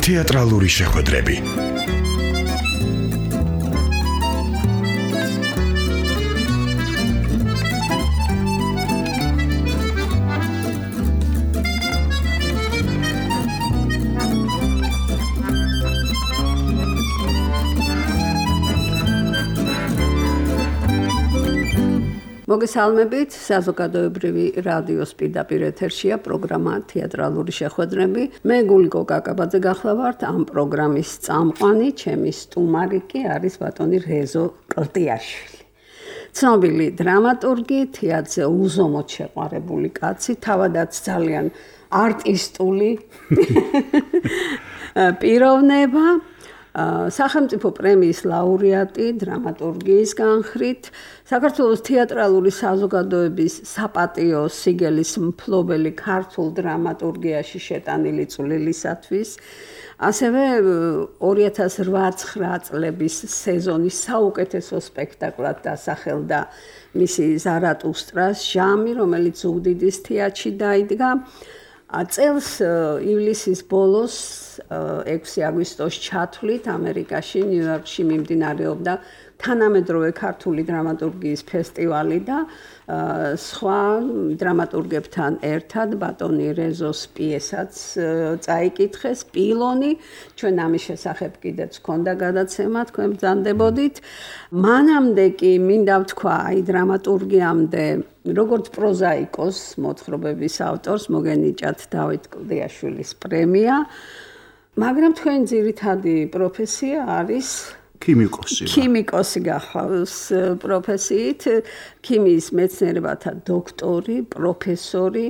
თეატრალური შეხვედრები. მოგესალმებით, საზოგადოებრივი რადიოს პირდაპირ ეთერშია პროგრამა თეატრალური შეხვედრები. მე გულიკო კაკაბაძე გახლავართ ამ პროგრამის წამყვანი, ჩემი სტუმარი კი არის ბატონი რეზო ყრტიაშვილი. ცნობილი დრამატურგი, თეატრზე უზომოდ შეყვარებული კაცი, თავადაც ძალიან არტისტული პიროვნება. სახელმწიფო პრემიის ლაურეატი დრამატურგიის განხრით, საქართველოს თეატრალური საზოგადოების საპატიო სიგელის მფლობელი ქართულ დრამატურგიაში შეტანილი წვლილისათვის, ასევე 2008-2009 წლების სეზონის საუკეთესო სპექტაკლად დასახელდა მისი ზარატუსტრას ჟამი, რომელიც ზუგდიდის თეატრში დაიდგა. წელს ივლისის ბოლოს 6 აგვისტოს ჩათვლით ამერიკაში, ნიუ-იორკში მიმდინარეობდა თანამედროვე ქართული დრამატურგიის ფესტივალი და სხვა დრამატურგებთან ერთად ბატონი რეზოს პიესაც წაიკითხეს პილონი. ჩვენ ამის შესახებ კიდეც ჰქონდა გადაცემა, თქვენ ბრძანდებოდით. მანამდე კი მინდა ვთქვა, დრამატურგიამდე როგორც პროზაიკოს მოთხრობების ავტორს მოგენიჭათ დავით კლდიაშვილის პრემია, მაგრამ თქვენი ძირითადი პროფესია არის ქიმიკოსი გახლავს პროფესიით, ქიმიის მეცნიერებათა დოქტორი, პროფესორი,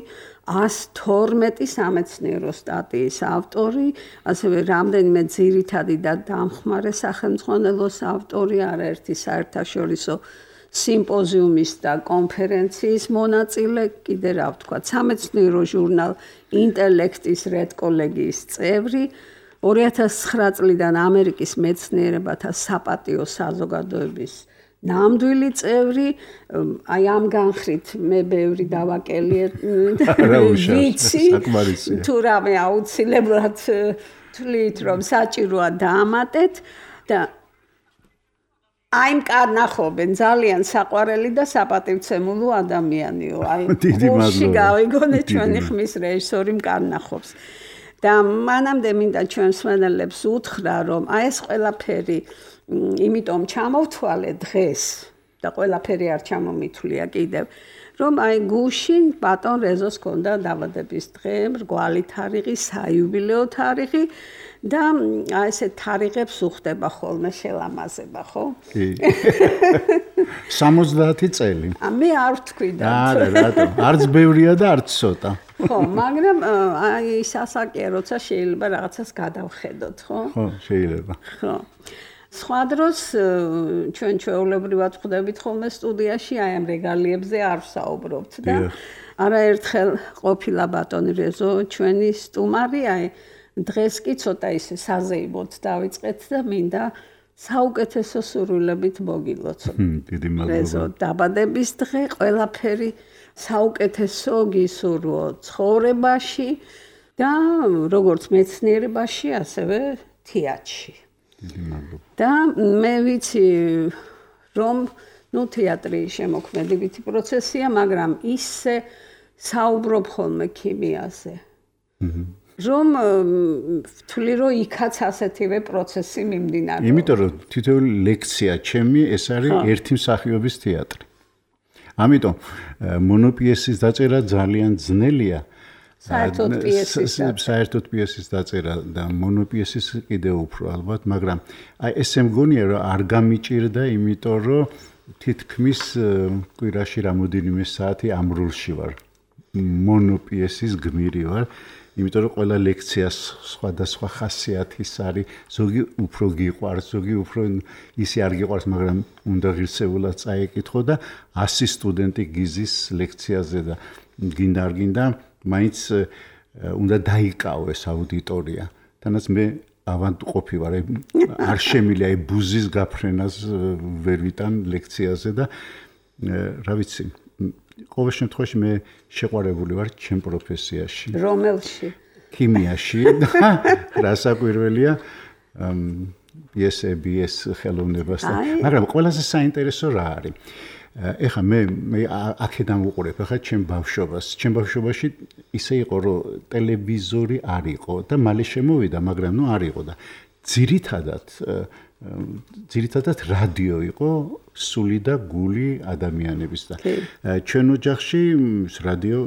112 სამეცნიერო სტატიის ავტორი, ასევე რამდენიმე ძირითადი და დამხმარე სახელმძღვანელოს ავტორი, არაერთი საერთაშორისო სიმპოზიუმის და კონფერენციის მონაწილე, კიდე რა ვთქვა, სამეცნიერო ჟურნალ ინტელექტის რედკოლეგიის წევრი, 2009 წლიდან ამერიკის მეცნიერებათა საპატიო საზოგადოების ნამდვილი წევრი. აი ამ განხრით მე ბევრი დავაკელიე ვიცი, თუ რამე აუცილებლად თვლით, რომ საჭიროა დაამატეთ და აი მკარნახობენ ძალიან საყვარელი და საპატივცემულო ადამიანიო. აი გულში გავიგონე ჩვენი ხმის რეჟისორი მკარნახობს. და მანამდე მინდა ჩვენ მსმენელებს უთხრა, რომ აი ეს ყველაფერი იმიტომ ჩამოვთვალე დღეს და ყველაფერი არ ჩამომითვლია კიდევ, რომ აი გუშინ ბატონ რეზოს ჰქონდა დაბადების დღე, მრგვალი თარიღი, საიუბილეო თარიღი და აი ესე თარიღებს უხდება ხოლმე შელამაზება, ხო? კი. 70 წელი. მე არ ვთქვი და არა, რატო? არც ბევრია და არც ცოტა. ხო, მაგრამ აი სასაკია, როცა შეიძლება რაღაცას გადავხედოთ, ხო? ხო, შეიძლება. ხო. სხვა დროს ჩვენ ჩვეულებრივად ხვდებით ხოლმე სტუდიაში, აი ამ რეგალიებზე არ ვსაუბრობთ და არაერთხელ ყოფილა ბატონი რეზო ჩვენი სტუმარი, აი დღეს კი ცოტა ისე საზეიმოდ დავიწყეთ და მინდა საუკეთესო სურვილებით მოგილოცოთ. დიდი მადლობა. რეზო დაბადების დღე, ყველაფერი საუკეთესო გისურვო ცხოვრებაში და როგორც მეცნიერებაში, ასევე თეატრში. დიდი მადლობა. და მე ვიცი, რომ თეატრი შემოქმედებითი პროცესია, მაგრამ ისე საუბრობ ხოლმე ქიმიაზე. რომ ვთვლი, რომ იქაც ასეთივე პროცესი მიმდინარეობს. იმიტომ რომ თითოეული ლექცია ჩემი ეს არის ერთი მსახიობის თეატრი. ამიტომ მონოპიესის დაწერა ძალიან ძნელია. საერთოდ პიესის დაწერა და მონოპიესის კიდევ უფრო ალბათ, მაგრამ აი ესე მგონია რომ არ გამიჭირდა, იმიტომ რომ თითქმის კვირაში რამოდენიმე საათი ამ როლში ვარ. მონოპიესის გმირი ვარ. იმიტომ რომ ყველა ლექციას სხვადასხვა ხასიათის არის, ზოგი უფრო გიყვარს, ზოგი უფრო ისე არ გიყვარს, მაგრამ უნდა ღირსებულად წაიკითხო და 100 სტუდენტი გიზის ლექციაზე და გინდა არ გინდა, მაინც უნდა დაიკავეს აუდიტორია. თანაც მე ავანტყოფი ვარ, არ შემიძლია ბუზის გაფრენას ვერ ვიტან ლექციაზე და რა ვიცი, ყოველ შემთხვევაში მე შეყვარებული ვარ ჩემ პროფესიაში. რომელში? ქიმიაში. რასაკვირველია, BS ხელოვნებასთან. მაგრამ ყველაზე საინტერესო რა არის? ეხლა მე აქედან ვუყურებ ახლა ჩემ ბავშვობას. ჩემ ბავშვობაში ისე იყო, რომ ტელევიზორი არ იყო და მალე შემოვიდა, მაგრამ არ იყო და ძირითადად რადიო იყო სული და გული ადამიანების და ჩვენ ოჯახში რადიო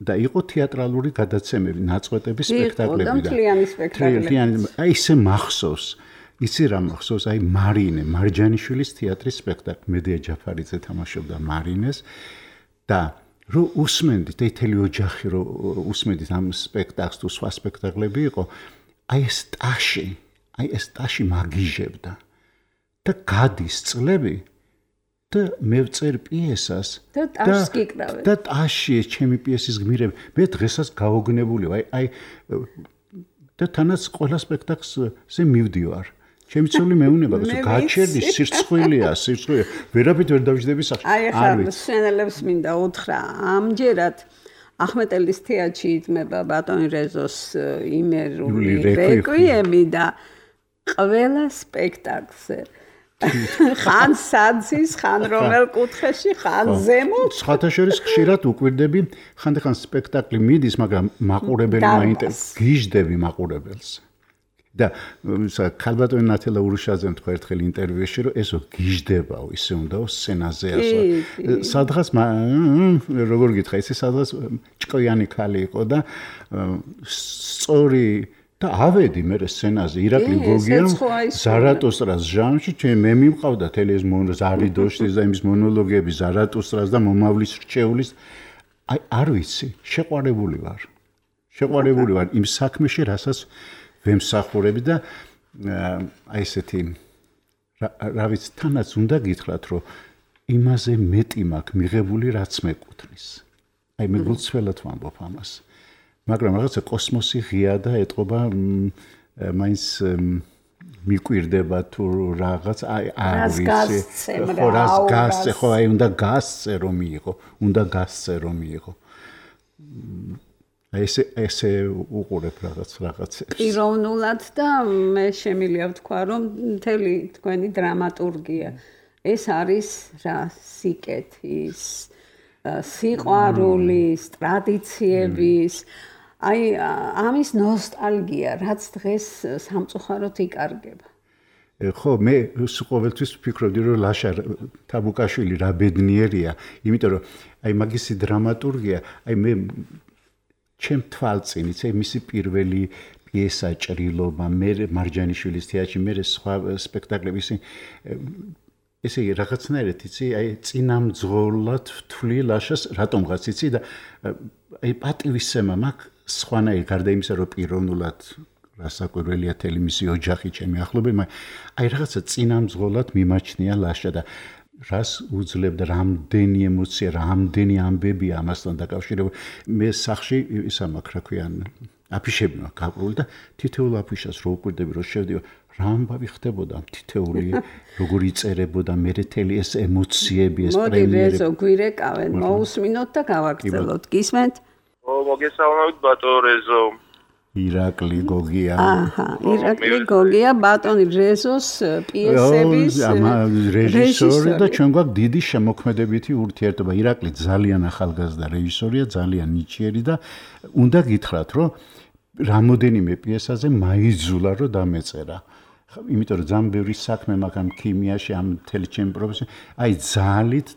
და იყო თეატრალური გადაცემები, ნაწყვეტები, სპექტაკლები და მთლიანი სპექტაკლები. აი ისე მახსოვს. იცი რა მახსოვს, აი მარინე, მარჯანიშვილის თეატრის სპექტაკლი, მედია ჯაფარიძე თამაშობდა მარინეს და რო უსმენდით, თელი ოჯახი რო უსმენდით ამ სპექტაკლს თუ სხვა სპექტაკლები იყო, აი ეს ტაში მაგიჟებდა და გადის წლები და მე ვწერ პიესას და ტაშს გიკრავენ. და ტაში ეს ჩემი პიესის გმირები, მე დღესაც გაოგნებული ვარ, აი და თანაც ყველა სპექტაკლზე მივდივარ. ჩემი ცოლი მეუნება, გაჩერდი სირცხვილია, ვერაფრით ვერ დავждები სახში. აი ახლა სცენელებს მინდა უთხრა, ამჯერად ახმეტელის თეატრში იდგმება ბატონი რეზოს იმერული რეკვიემი და ყველა სპექტაკლზე ხან საძის, ხან რომელ კუთხეში, ხან ზემოთ. სხვათა შორის ხშირად უკვირდები, ხანდახან სპექტაკლი მიდის, მაგრამ მაყურებელი მაინტერესებს, გიждები მაყურებელს. და ქალბატონი ნათელა ურუშაძემ თქვა ერთხელ ინტერვიუში, რომ ესო გიждებაო, ისე უნდაო სცენაზე ასვა. სადღაც როგორ გითხრა, ისე სადღაც ჭკვიანი ქალი იყო და სწორი და ავედი მე სცენაზე ირაკლი გოგიამ ზარატუსტრას ჟანრში, მე მივყავდა თელი ეს ზარიდოშტის და იმის მონოლოგები ზარატუსტრას და მომავლის რჩეულის. აი არ ვიცი, შეყვარებული ვარ იმ საქმეში, რასაც ვემსახურები და აი ესეთი რა ვიცი, თანაც უნდა გითხრათ, რომ იმაზე მეტი მაქვს მიღებული, რაც მეკუთვნის. აი მე გულწრფელად ვამბობ ამას. მაგრამ რაღაცა კოსმოსი ღია და ეტყობა მაინც მიკვირდება თუ რაღაც აი არ ვიცი. რას გასცე, ხო აი უნდა გასცე რომ მიიღო. ესე უყურებ რაღაცებს. პიროვნულად და მე შემიძლია ვთქვა, რომ მთელი თქვენი დრამატურგია ეს არის რა სიკეთის, სიყვარულის, ტრადიციების, აი ამის ნოსტალგია, რაც დღეს სამწუხაროდ იკარგება. ხო, მე ყოველთვის ვფიქრობდი, რომ ლაშა თაბუკაშვილი რა ბედნიერია, იმიტომ რომ აი მაგისი დრამატურგია, აი მე ჩემ თვალწინიც მისი პირველი პიესა ჭრილობა, მე მარჯანიშვილის თეატრში, მე სხვა სპექტაკლები ესე რაღაცნაირად იცი, აი წინამძღოლად ვთვლი ლაშას რატომღაც იცი და აი პატივისცემა მაქვს სხვანაირ გარდა იმისა, რომ პიროვნულად რასაკვირველია თელი მისი ოჯახი ჩემი ახლობელი, მაგრამ აი რაღაცა წინამძღოლად მიმაჩნია ლაშა და რას უძლებდა, რამდენი ემოცია, რამდენი ამბებია ამასთან დაკავშირებული. მე სახში ისა მაქვს, რა ქვია, აფიშები მაქვს გაპრული და თითოეულ აფიშას რო უკვირდები, რო შევდივარ, რა ამბავი ხდებოდა თითოეული, როგორ იწერებოდა მე თელი ეს ემოციები, ეს პრემიერები. მოდი რეზო გვირეკავენ, მოусმინოთ და გავაგრძელოთ. გისმენთ? მოგესალმებით ბატონო რეზო. ირაკლი გოგია. ირაკლი გოგია ბატონი რეზოს პიესების რეჟისორი და ჩვენ გვაქვს დიდი შემოქმედებითი ურთიერთობა. ირაკლი ძალიან ახალგაზრდა რეჟისორია, ძალიან ნიჭიერი და უნდა გითხრათ, რომ რამოდენიმე პიესაზე მაიძულა რომ დამეწერა. იმიტომ რომ ძალიან ბევრი საქმე მაქვს ამ ქიმიაში, ამ მთელი ჩემი პროფესია. აი ძალით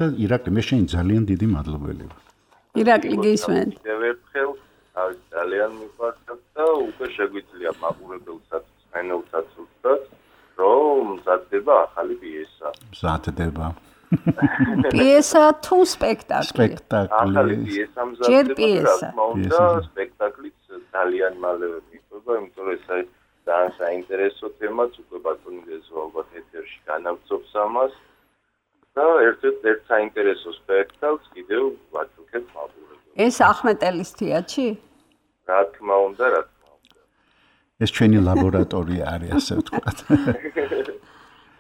და ირაკლი მე შენ ძალიან დიდი მადლობელი ვარ. ირაკლი გისმენთ? ძალიან მიყვარს და უკვე შეგვიძლია მაყურებელსაც, ფენელსაც უცდათ, რომ მზადდება ახალი პიესა. მზადდება. პიესა თუ სპექტაკლი? სპექტაკლი. ახალი პიესა მზადდება, და სპექტაკლიც ძალიან მალე მიყვება, იმიტომ რომ ეს ძალიან საინტერესო თემაც უკვე ბატონი რეზო ალბათ ეთერში განავწობს ამას და ერთ საინტერესო სპექტაკლს კიდევ ვაჩუქებ მაყურებელს. ეს ახმეტელის თეატრში? რა თქმა უნდა. ეს ჩვენი ლაბორატორია არის, ასე ვთქვათ.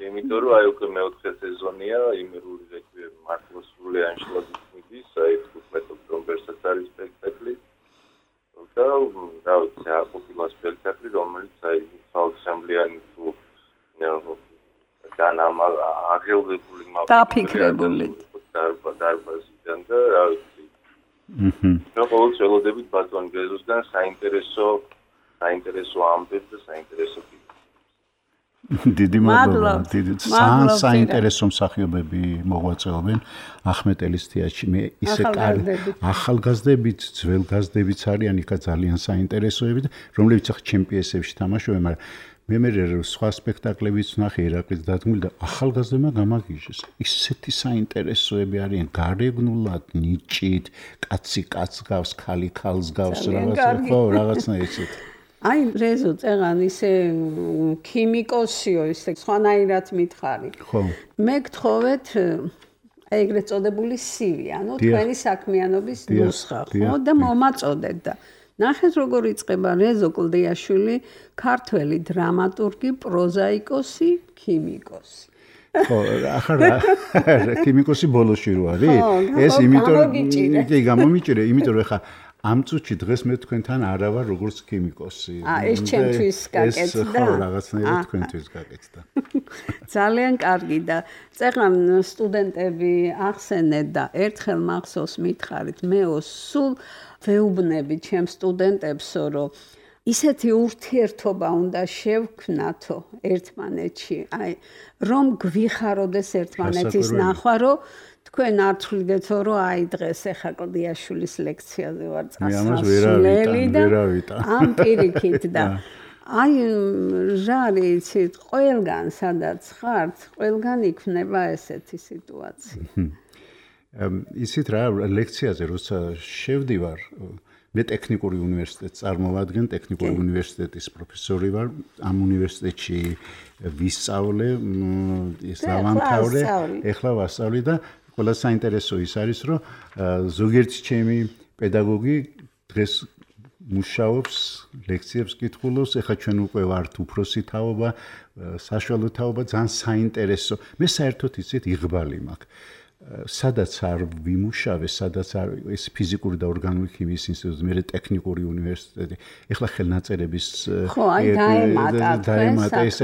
იმიტომ რომ აი უკვე მეოთხე სეზონია იმერული რეკვიემი მართლა სრულიად შლაგის აი 15 ოქტომბერსაც არის სპექტაკლი. და დავიცი ყოფილი სპექტაკლი, რომელიც აი საოცრამდიანი თუ აღელვებული დაფიქრებული დარბაზიდან და რა ვიცი. და ყოველთვის ველოდებით ბატონ გეზუსგან საინტერესო ამბებს და საინტერესო დიდი მადლობა. საინტერესო მსახიობები მოღვაწეობენ ახმეტელის თეატრში. მე ისე ახალგაზრდებით, ძველგაზრდებიც არიან, იქა ძალიან საინტერესოები, რომლებიც ახლა ჩემპიონსებში თამაშობენ, მაგრამ მე სხვა სპექტაკლებიც ვნახე ირაკლის დადგმული და ახალგაზრდებმა გამაგიჟეს. ისეთი საინტერესოები არიან, გარეგნულად, ნიჭით, კაცი კაცს გავს, ქალი ქალს გავს, რაღაცნაირად ისეთი. აი რეზო წეღან ისე ქიმიკოსიო ისე სხვანაირად მითხარი. ხო. მე გთხოვეთ ეგრეთ წოდებული CV, ანუ თქვენი საქმიანობის ნუსხა, ხო და მომაწოდეთ და ნახეთ როგორ იწყება რეზო კლდიაშვილი, ქართველი დრამატურგი, პროზაიკოსი, ქიმიკოსი. ხო, ახლა ქიმიკოსი ბოლოში რო არის? ეს იმიტომ კი გამომიჭირე, იმიტომ რომ ხა ამ წუთში დღეს მე თქვენთან არა ვარ როგორც ქიმიკოსი. ეს ჩემთვის გაკეთდა. ხო, რაღაცნაირად თქვენთვის გაკეთდა. ძალიან კარგი და წეღან სტუდენტები ახსენეთ და ერთხელ მახსოვს მითხარით, მეო სულ ვეუბნები ჩემ სტუდენტებსო, რომ ისეთი ურთიერთობა უნდა შევქმნათო ერთმანეთში, აი რომ გვიხაროდეს ერთმანეთის ნახვა, რომ თქვენ არ თვლიდეთო, რომ აი დღეს ახლა კლდიაშვილის ლექციაზე ვარ წასვლელი და ამ პირიქით და აი ჟარი იცით, ყველგან სადაც ხართ, ყველგან იქნება ესეთი სიტუაცია. ისიც რა ლექციაზე როცა შევდივარ, მე ტექნიკური უნივერსიტეტს წარმოვადგენ, ტექნიკური უნივერსიტეტის პროფესორი ვარ, ამ უნივერსიტეტში ვისწავლე, ის დავამთავრე, ეხლა ვასწავლი და ყველა საინტერესო ის არის, რომ ზოგიერთი ჩემი პედაგოგი დღეს მუშაობს, ლექციებს კითხულობს, ეხლა ჩვენ უკვე ვართ უფროსი თაობა, საშუალო თაობა, ძალიან საინტერესო. მე საერთოდ იცით იღბალი მაქვს. სადაც არ ვიმუშავე, სადაც არ ეს ფიზიკური და ორგანული ქიმიის ინსტიტუტი, მე ტექნიკური უნივერსიტეტი, ეხლა ხელნაწერების ხო, აი დაემატა ეს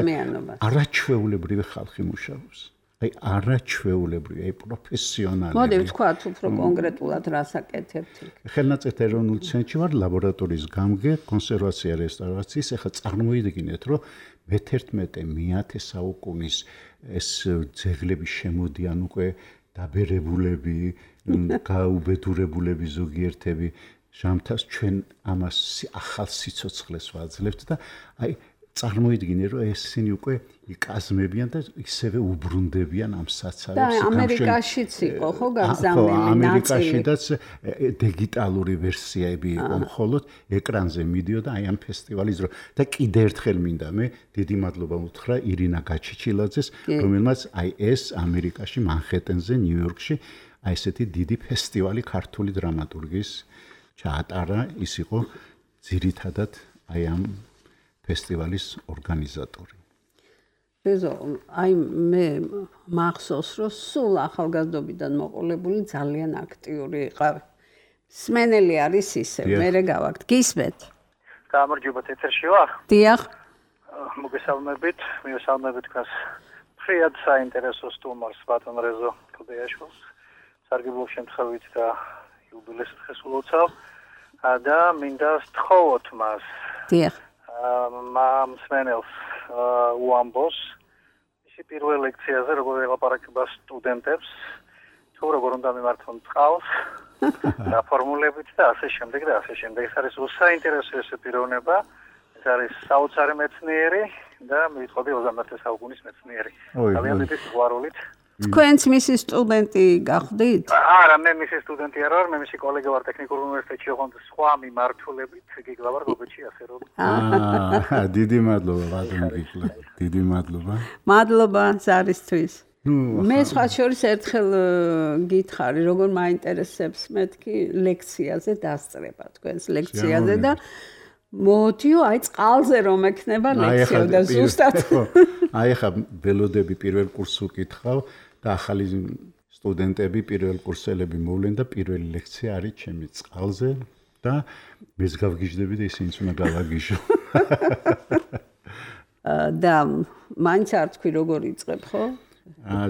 არაჩვეულებრივი ხალხი მუშაობს. აი არაჩვეულებრივი, აი პროფესიონალი. მოდი ვთქვათ უფრო კონკრეტულად რას აკეთებთ. ხელნაწერთა ეროვნულ ცენტრში ვარ, ლაბორატორიის გამგე, კონსერვაცია რესტავრაციის, ეხლა წარმოიდგინეთ, რომ მე-11 საუკუნის ეს ძეგლები შემოდიან უკვე დაბერებულები, გაუბედურებულები ზოგიერთები, ჟამთას ჩვენ ამას ახალ სიცოცხლეს ვაძლევთ და აი წარმოიდგინე რომ ესენი უკვე იკაზმებიან და ისევე უბრუნდებიან ამ საცავებს. და ამერიკაშიც იყო ხო გაგზავნილი ნაწილი. ამერიკაშიც დიგიტალური ვერსიები იყო, მხოლოდ ეკრანზე მიდიოდა აი ამ ფესტივალის დრო. და კიდე ერთხელ მინდა მე დიდი მადლობა უთხრა ირინა გაჩიჩილაძეს, რომელმაც აი ეს ამერიკაში მანჰეტენზე, ნიუ-იორკში აი ესეთი დიდი ფესტივალი ქართული დრამატურგის ჩაატარა, ის იყო ძირითადად აი ამ ფესტივალის ორგანიზატორი. რეზო, აი მე მახსოვს, რომ სულ ახალგაზრდობიდან მოყოლებული ძალიან აქტიური იყავ. სმენელი არის ისე, მე გავაკთ. გისმენთ? გამარჯობა, ეთერში ვარ? დიახ. მოგესალმებით, მივესალმებით თქვენს ფრიად საინტერესო სტუმარს ბატონ რეზო კლდიაშვილს. სარგებლობ შემთხვევით და იუბილეს დღეს ულოცავ და მინდა სთხოვოთ მას. დიახ. მსმენელს უამბოს ისი პირველ ლექციაზე როგორ ელაპარაკება სტუდენტებს თუ როგორ უნდა მიმართონ წყალს დაფორმულებით და ასე შემდეგ და ასე შემდეგ. ეს არის უსაინტერესო ეს პიროვნება, ეს არის საოცარი მეცნიერი და მივიტყოდი 21 საუკუნის მეცნიერი. ძალიან დიდი სიყვარულით. თქვენც მისი სტუდენტი გახდით? არა, მე მისი სტუდენტი არ ვარ, მე მისი კოლეგა ვარ ტექნიკურ უნივერსიტეტში, ოღონდ სხვა მიმართულებით გიგლავარ გოგოჩი ასე რომ. დიდი მადლობა ბატონ გიგლა. დიდი მადლობა. მადლობა ზარისთვის. მე სხვა შორის ერთხელ გითხარი, როგორ მაინტერესებს მეთქი ლექციაზე დასწრება, თქვენს ლექციაზე და მოდიო, აი წყალზე რომ ექნება ლექცია და ზუსტად. აი ხა ველოდები პირველ კურსს უკითხავ და ახალი სტუდენტები, პირველ კურსელები მოვლენ და პირველი ლექცია არის ჩემი წყალზე და მეც გავგიჟდები და ისინიც უნდა გავაგიჟო. და მაინც არ თქვი როგორ იწყებ, ხო?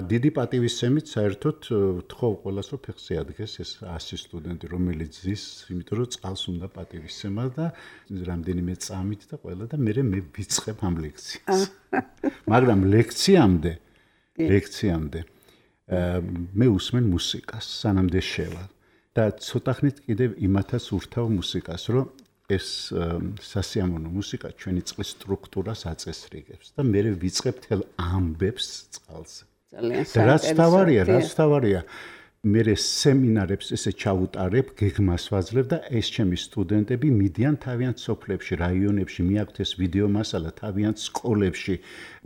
დიდი პატივისცემით საერთოდ თხოვ ყველას რომ ფეხზე ადგეს ეს 100 სტუდენტი რომელიც ზის, იმიტომ რომ წყალს უნდა პატივისცემა და რამდენიმე წამით და ყველა და მე ვიწყებ ამ ლექციას. მაგრამ ლექციამდე მე უსმენ მუსიკას, სანამდე შევა და ცოტა ხნით კიდევ იმათაც ურთავ მუსიკას, რომ ეს სასიამოვნო მუსიკა ჩვენი წყლის სტრუქტურას აწესრიგებს და მე ვიწყებ თელ ამბებს წყალზე. რაც თავარია, მე სემინარებს ესე ჩაუტარებ, გეგმას ვაძლევ და ეს ჩემი სტუდენტები მიდიან თავიანთ სოფლებში, რაიონებში, მიაქვთ ეს ვიდეო მასალა, თავიანთ სკოლებში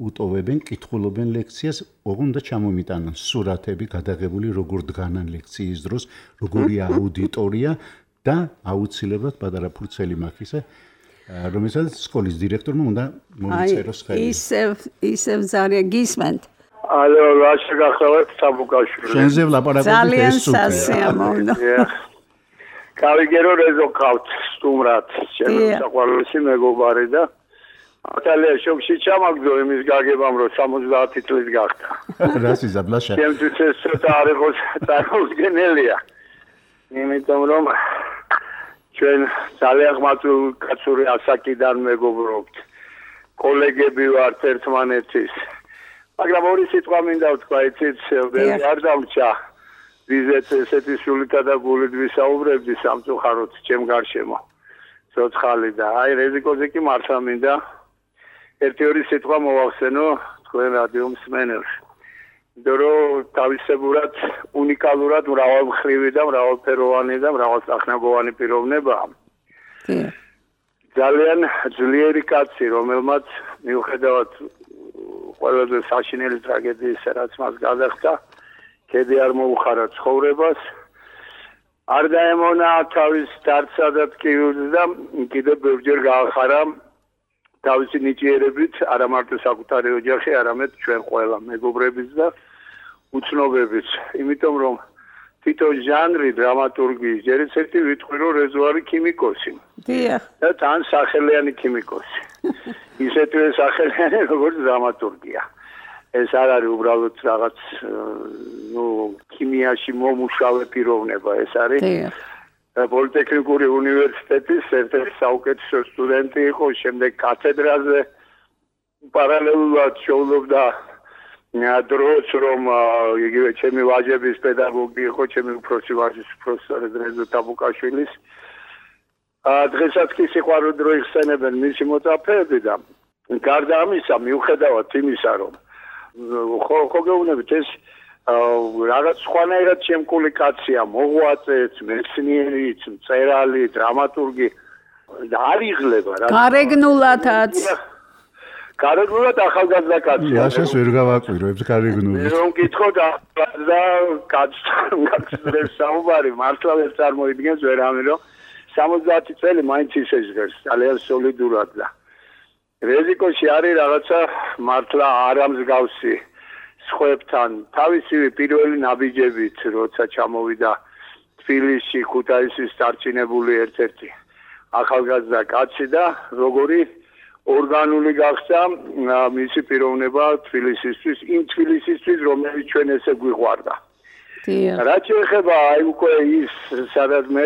უტოვებენ, კითხულობენ ლექციას, უნდა ჩამომიტანონ სურათები გადაღებული, როგორ დგანან ლექციის დროს, როგორია აუდიტორია და აუცილებლად პატარა ფურცელი მაქვს ისე, რომელსაც სკოლის დირექტორმა უნდა მომიწეროს ხელი. ისევ ზარია გისმენთ. ალო, რა შეგახსოვეთ საბუკაშვილი. შენზე ვლაპარაკობთ ძალიან სასიამოვნო. გავიგერო რეზო ყავთ სტუმრად, ჩემი საყვარლესი მეგობარი და ატალია შოქში ჩამაგდო იმის გაგებამ რომ 70 წლის გახდა. რას იზაბლაშა? ჩემთვის ეს ცოტა არ იყოს წარმოუდგენელია. იმიტომ რომ ჩვენ ძალიან ხმაწური ასაკიდან მეგობრობთ. კოლეგები ვართ ერთმანეთის. მაგრამ ორი სიტყვა მინდა ვთქვა, იცით, არ დამჭა. ვიზეთ ესეთი სულითა და გულით ვისაუბრებდი სამწუხაროდ ჩემ გარშემო. ცოცხალი და აი რეზიკოზე კი მართლა მინდა ერთი-ორი სიტყვა მოვახსენო თქვენ რადიო მსმენელს. დრო თავისებურად უნიკალურად მრავალმხრივი და მრავალფეროვანი და მრავალსახნაგოვანი პიროვნებაა. ძალიან ძლიერი კაცი, რომელმაც მიუხედავად ყველაზე საშინელი ტრაგედიისა, რაც მას გადახდა, ქედი არ მოუხარა ცხოვრებას. არ დაემონა თავის დარცსა და ტკივილს და კიდევ ბევრჯერ გაახარა თავისი ნიჭიერებით, არა მარტო საკუთარი ოჯახი, არამედ ჩვენ ყველა მეგობრებიც და უცნობებიც. იმიტომ რომ თვითონ ჟანრი დრამატურგიის ჯერ ერთი ვიტყვი რომ რეზო არის ქიმიკოსი. დიახ. და თან სახელიანი ქიმიკოსი. ისეთვე სახელიანი როგორც დრამატურგია. ეს არ არის უბრალოდ რაღაც ქიმიაში მომუშავე პიროვნება, ეს არის პოლიტექნიკური უნივერსიტეტის ერთ-ერთი საუკეთესო სტუდენტი იყო, შემდეგ კათედრაზე პარალელურად შეუძლობდა დროს რომ იგივე ჩემი ვაჟების პედაგოგი იყო, ჩემი უფროსი ვაჟის პროფესორი რეზო ტაბუკაშვილის. დღესაც კი სიყვარული დრო იხსენებენ მისი მოწაფეები და გარდა ამისა მიუხედავად იმისა რომ ხო გეუბნებით ეს რაღაც სხვანაირად შემკული კაცია, მოღვაწეც, მეცნიერიც, მწერალი, დრამატურგი და არ იღლება რა. გარეგნულათაც. გარეგნულად ახალგაზრდა კაცია. იაშას ვერ გავაკვირვებ გარეგნულად. რომ გითხოთ ახალგაზრდა კაცს საუბარი მართლა ვერ წარმოიდგენს ვერავინ რომ 70 წელი მაინც ისე ჟღერს, ძალიან სოლიდურად და რეზიკოში არის რაღაცა მართლა არამსგავსი სხვებთან თავისივე პირველი ნაბიჯებით როცა ჩამოვიდა თბილისში ქუთაისის დარჩინებული ერთ-ერთი ახალგაზრდა კაცი და როგორი ორგანული გახდა მისი პიროვნება თბილისისთვის, იმ თბილისისთვის რომელიც ჩვენ ესე გვიყვარდა. რაც შეეხება აი უკვე ის სადაც მე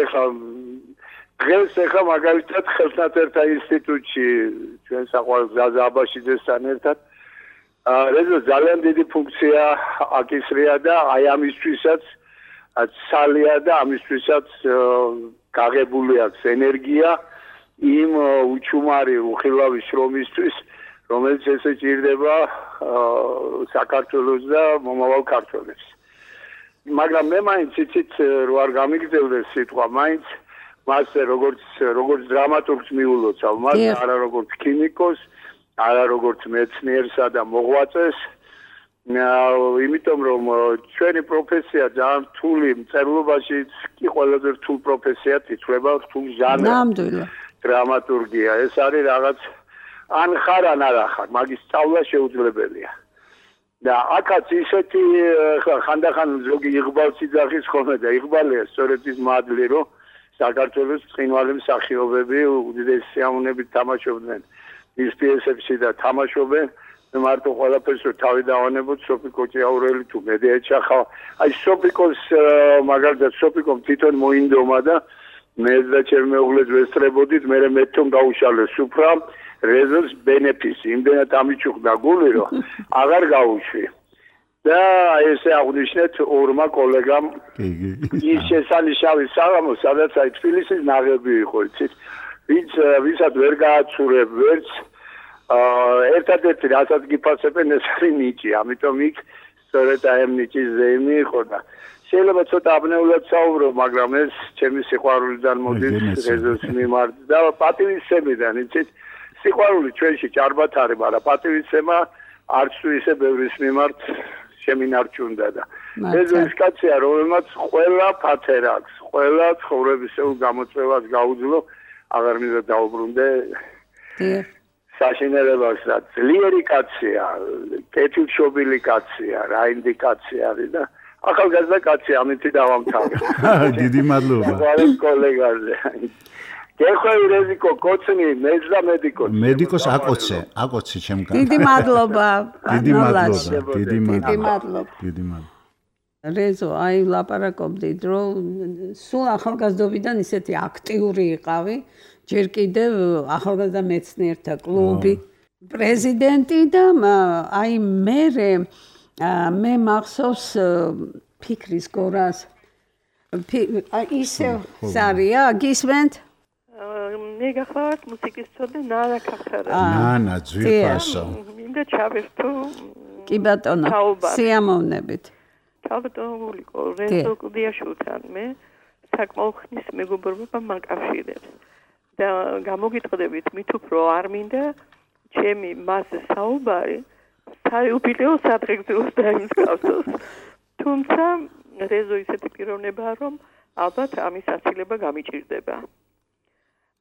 დღეს ახლა მაგალითად ხელნაწერთა ინსტიტუტში ჩვენ საყვარელ გზაზე აბაშიძესთან ერთად რეზო ძალიან დიდი ფუნქცია აკისრია და აი ამისთვისაც ცალია და ამისთვისაც გაღებული აქვს ენერგია იმ უჩუმარი უხილავი შრომისთვის რომელიც ესე ჭირდება საქართველოს და მომავალ ქართველებს. მაგრამ მე მაინც იცით რო არ გამიგრძელდეს სიტყვა მაინც მასე როგორც დრამატურგს მიულოცავ, მას არა როგორც ქიმიკოს, არა როგორც მეცნიერსა და მოღვაწეს. იმიტომ რომ ჩვენი პროფესია ძალიან რთული მწერლობაში კი ყველაზე რთულ პროფესიად ითვლება, რთულ ჟანრად. ნამდვილად. დრამატურგია. ეს არის რაღაც ან ხარ ან არ ხარ, მაგის სწავლა შეუძლებელია. და აქაც ისეთი ხანდახან ზოგი იღბალს იძახის ხოლმე და იღბალია სწორედ ის მადლი, რომ საქართველოს ცხინვალე მსახიობები უდიდესი სიამოვნებით თამაშობდნენ ის პიესებში და თამაშობენ. მარტო ყველაფერს რო თავი დავანებოთ სოფიკო ჭიაურელი თუ მედიაჩახა. აი სოფიკოს მაგალითად სოფიკომ თვითონ მოინდომა და მე და ჩემი მეუღლე ვესწრებოდით, მე მეთომ გაუშალეს უფრა რეზოს ბენეფისი. იმდენად ამიჩუქდა გული, რომ აღარ გაუშვი. და ესე აღნიშნეთ ორმა კოლეგამ ის შესანიშნავი საღამო, სადაც აი თბილისის ნაღები იყო, იცით? ვისაც ვერ გააცურებ ვერც ერთადერთი რასაც გიფასებენ ეს არის ნიჭი, ამიტომ იქ სწორედ აი ამ ნიჭის ზეიმი იყო და შეიძლება ცოტა აბნეულად საუბრო, მაგრამ ეს ჩემი სიყვარულიდან მოდის რეზოს მიმართ და პატივისცემიდან, იცით? სიყვარული ჩვენში ჭარბად არის, მაგრამ პატივისცემა არც თუ ისე ბევრის მიმართ შემინარჩუნდა და ეს ის კაცია, რომელმაც ყველა ფათერ აქვს, ყველა ცხოვრებისეულ გამოწვევას გაუძლო, აღარ მინდა დაუბრუნდე. საშინელებას და ძლიერი კაცია, კეთილშობილი კაცია, რაინდი კაცი არის და ახალგაზრდა კაცი, ამით დავამთავრე. დიდი მადლობა. ყველა კოლეგაზე. გეხვევი რეზიკო კოცნი, მეძდა მედიკოს. მედიკოს აკოცე ჩემგან. დიდი მადლობა. დიდი მადლობა. დიდი მადლობა. რეზო, აი ლაპარაკობდით, რომ სულ ახალგაზრდობიდან ისეთი აქტიური იყავი, ჯერ კიდევ ახალგაზრდა მეცნიერთა კლუბი, პრეზიდენტი და აი მე მახსოვს ფიქრის გორას. ისე სარია, გისმენთ? მე გახლავართ მუსიკის ცოდნე ნანა ქახარა. ნანა ძვირფასო. მინდა ჩავერთო. კი ბატონო, სიამოვნებით. თავდადიულიყო რეზო კუდიაშვილთან მე საკმაოდ ხნის მეგობრობა მაკავშირებს. და გამოგიტყდებით მით უფრო არ მინდა ჩემი მასზე საუბარი საიუბილეო სადღეგრძელოს დაიმსგავსოს. თუმცა რეზო ისეთი პიროვნებაა, რომ ალბათ ამის ასილება გამიჭირდება.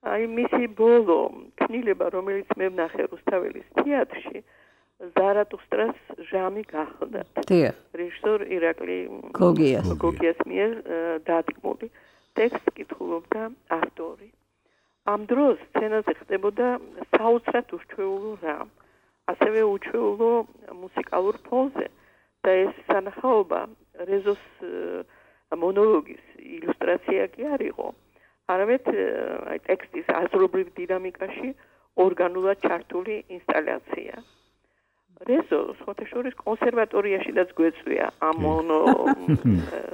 აი მისი ბოლო ქნილება, რომელიც მე ვნახე რუსთაველის თეატრში, ზარატუსტრას ჟამი გახლდათ. რეჟისორ ირაკლი გოგიას მიერ დადგმული. ტექსტს კითხულობდა ავტორი. ამ დროს სცენაზე ხდებოდა საოცრად უჩვეულო რამ, ასევე უჩვეულო მუსიკალურ ფონზე და ეს სანახაობა რეზოს მონოლოგის ილუსტრაცია კი არ იყო, არამედ აი ტექსტის აზრობრივ დინამიკაში ორგანულად ჩართული ინსტალაცია. რეზო სხვათა შორის კონსერვატორიაშიდაც გვეწვია ამ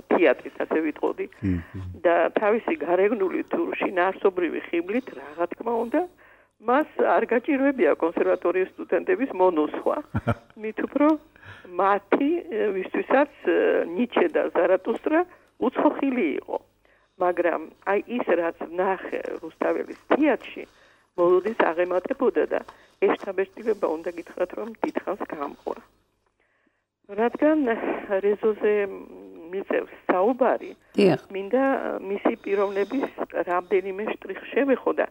თეატრის, ასე ვიტყოდი და თავისი გარეგნული თუ შინაარსობრივი ხიბლით რა თქმა უნდა მას არ გაჭირვებია კონსერვატორიის სტუდენტების მონუსხვა. მით უფრო მათი ვისთვისაც ნიჩე და ზარატუსტრა უცხოხილი იყო. მაგრამ აი ის რაც ნახე რუსთაველის თეატრში მოლოდის აღემატებოდა და ეშთაბეჭდილება უნდა გითხრათ, რომ დიდხანს გამყვა. რადგან რეზოზე მიწევს საუბარი, მინდა მისი პიროვნების რამდენიმე შტრიხს შევეხო და